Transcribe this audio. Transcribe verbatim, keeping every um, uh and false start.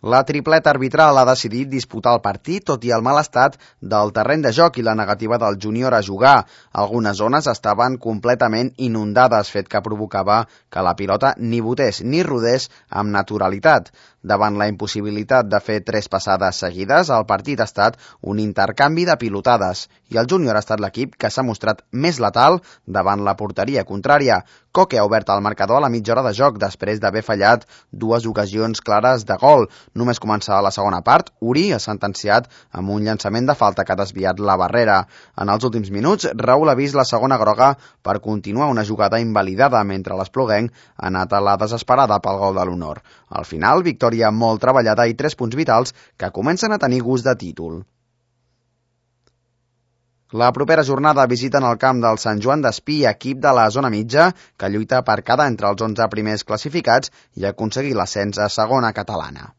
La tripleta arbitral ha decidit disputar el partit, tot i el mal estat del terreny de joc i la negativa del júnior a jugar. Algunes zones estaven completament inundades, fet que provocava que la pilota ni botés ni rodés amb naturalitat. Davant la impossibilitat de fer tres passades seguides, el partit ha estat un intercanvi de pilotades i el júnior ha estat l'equip que s'ha mostrat més letal davant la porteria contrària. Coque ha obert el marcador a la mitja hora de joc després d'haver fallat dues ocasions clares de gol. Només començar la segona part, Uri ha sentenciat amb un llançament de falta que ha desviat la barrera. En els últims minuts, Raül ha vist la segona groga per continuar una jugada invalidada mentre l'Espluguenc ha anat a la desesperada pel gol de l'honor. Al final, victòria molt treballada i tres punts vitals que comencen a tenir gust de títol. La propera jornada visiten el camp del Sant Joan d'Espí, equip de la zona mitja, que lluita per quedar entre els onze primers classificats i aconseguir l'ascens a segona catalana.